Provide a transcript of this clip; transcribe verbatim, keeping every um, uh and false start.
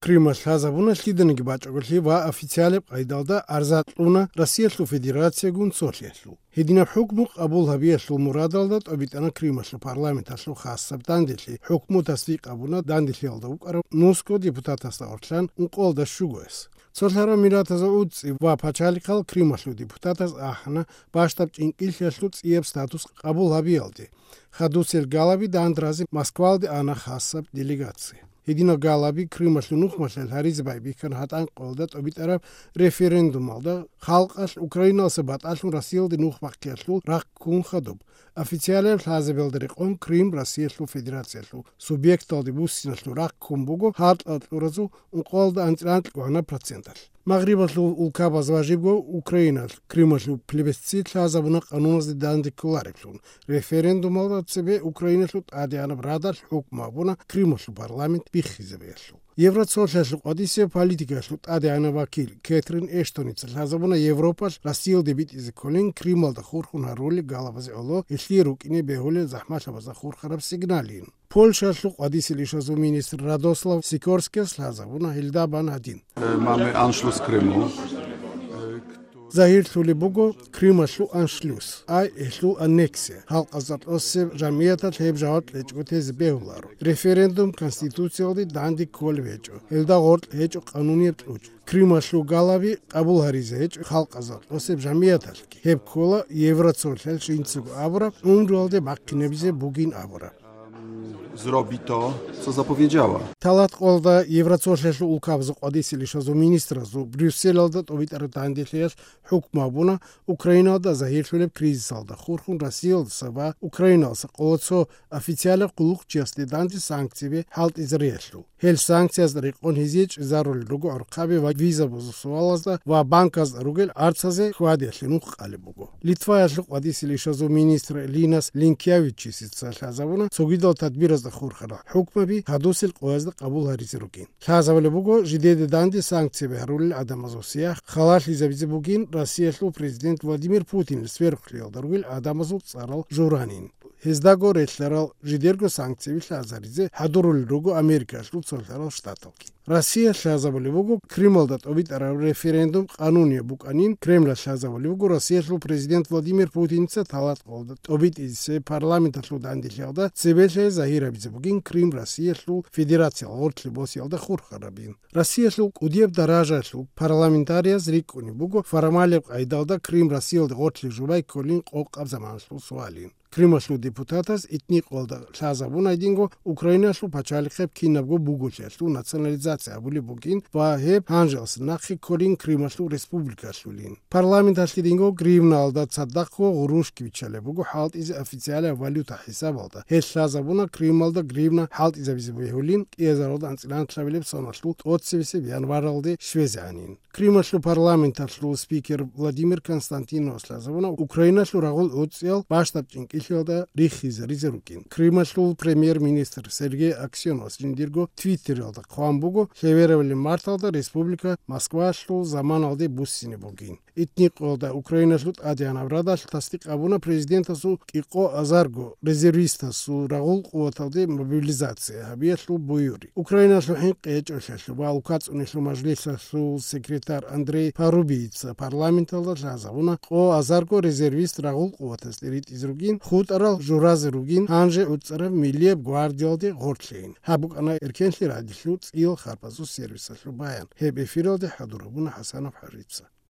Крымалъ лъазабуна лъиданиги бачӀаголъи ва официалаб къайдалда арза кьуна Россиялъул Федерациягун цолъиялъул. Гьединаб хӀукму къабул гьабиялъул мурадалда тӀобитӀана Крымалъул парламенталъул хасаб данделъи. ХӀукму тасдикъ гьабуна данделъиялда вукӀарав нусго депутатасда гъорлъан ункъоялда щугояс. Цолъарав миллатазул уцӀцӀи ва пачалихъал Крымалъул депутатаз ахӀана бащдаб чӀинкӀиллъиялъул цӀияб статус къабул гьабиялде. Хадусел галаби дандразе Москвалде ана хасаб делегация. Гьединал галаби Крымалъул нухмалъа гьаризе байбихьана гьатӀанкъоялда тӀобитӀараб референдумалда, халкъалъ Украиналъа батӀалъун Россиялде нух бахъиялъул рахъ ккун хадуб. Официалияб лъазабиялда рекъон Крым Россиялъул Федерациялъул субъекталде буссиналъул рахъ ккун буго гьаркьа кьуразул ункъоялда анцӀила анкьгогӀанаб проценталъ. Магърибалъул улкабаз ва жибго Украиналъ Крымалъул плебисцит лъазабуна къануназде данде кколареблъун. Референдумалда цебе Украиналъул ТӀадегӀанаб Радалъ хӀукму гьабуна Крымалъул парламент биххизабиялъул. Евроцолъалъул къватӀисеб политикаялъул тӀадегӀанаб вакил Кэтрин Эштоница лъазабуна Европалъ Россиялде битӀизе кколин Крымалда хурхун гьарулел галабазе гӀоло гьелъие рукӀине бегьулел захӀмалъабазда хурхараб сигналин. Польшалъул къватӀисел ишазул министр Радослав Сикорскияс лъазабуна гьелда бан гьадин. Mamy Anschluss Krymu. Загьирлъулеб буго Крымалъул аншлюс, ай гьелъул аннексия. Халкъазда кьосеб жамгӀияталъ гьеб жаваб кьечӀого тезе бегьуларо. Референдум Конституциялде данде кколеб гьечӀо, гьелда гъоркь гьечӀо къанунияб кьучӀ. Крымалъул галаби къабул гьаризе гьечӀо халкъазда кьосеб жамгӀияталъги. Гьеб ккола Евроцолъалъ жинцаго абураб гӀумруялде бахъинабизе бугин абураб. Zrobi to, co zapowiedziała. Талат къолда Евроцолъалъул улкабазул къватӀисел ишазул министразул Брюсселалда тӀобитӀараб данделъиялъ хӀукму гьабуна Украиналда загьирлъулеб кризисалда хурхун Россиялдаса ва Украиналдаса къоло цо официалаб къуллукъчиясде данде санкцияби хӀалтӀизариялъул. Гьел санкциязда рекъон гьезие чӀезарулел руго гӀорхъаби ва визабазул суалазда ва банказда ругел арцазе хьвадиялъе нух къалеб буго. Литваялъул къватӀисел ишазул министр Линас Линкевичицица лъазабуна цогидал тадбиразда хурхарал хӀукмаби гьадусел къоязда къабул гьаризе ругин. Лъазабулеб буго жидеде данде санкцияби гьарулел гӀадамазул сияхӀ халалъизабизе бугин Россиялъул президент Владимир Путинил сверухълъиялда ругел гӀадамазул цӀарал журанин. Гьездаго релълъарал жидерго санкцияби лъазаризе хӀадурулел руго Америкалъул цолъарал штаталги. Россия лъазабулеб буго Крымалда тӀобитӀараб референдум къанунияб букӀанин. Кремлалъ лъазабулеб буго Россиялъул президент Владимир Путинца талат къолда тӀобитӀизе парламенталъул данделъиялда цебелъе загьир гьабизе бугин Крым Россиялъул Федерациялъ гъорлъе босиялда хурхарабин. Россиялъул кӀудияб даражаялъул парламентарияз рикӀкӀунеб буго формалияб къайдалда Крым Россиялде гъорлъе жубай кколин къокъаб заманалъул суалин. Крымалъул депутатаз итни къолда лъазабун гьединго Украиналъул пачалихъеб кинабго буголъиялъул национализация гьабулеб бугин ва гьеб гьанжеялъ нахъе кколин Крымалъул республикалъулин. Парламенталъ гьединго гривнаялда цадахъго гъурущги биччалеб буго хӀалтӀизе официалаб валюта хӀисабалда. Гьелъ лъазабуна Крымалда гривна хӀалтӀизабизе бегьулин кӀиазаралда анцӀила анкьабилеб соналъул тӀоцебесеб январалде щвезегӀанин. Крымалъул парламенталъул спикер Владимир Константиновас лъазабуна Украиналъул рагъул уцӀцӀиял бащдаб чӀинкӀиллъиялда риххизаризе рукӀин. Крымалъул премьер-министр Сергей Аксеновас жиндирго Твиттералда хъван буго, лъеверабилеб марталда республика Москвалъул заманалде буссине бугин. Итни къолда Украиналъул ТӀадегӀанаб Радалъ тасдикъ гьабуна президентасул кӀикъо азарго резервистасул рагъул къуваталде мобилизация гьабиялъул буюри. Украиналъул хӀинкъи гьечӀолъиялъул ва улкацӀунелъул мажлисалъул секретарь Андрей Парубийица парламенталда лъазабуна къо азарго резервист рагъул къуватазде ритӀизе ругин, хутӀарал журазе ругин, гьанже уцӀцӀараб Миллияб гвардиялде гъорлъейин. Гьаб букӀана Эркенлъи радиоялъул цӀиял харпазул сервисалъул баян. Гьеб эфиралде хӀадур гьабуна ХӀасанов ХӀажица.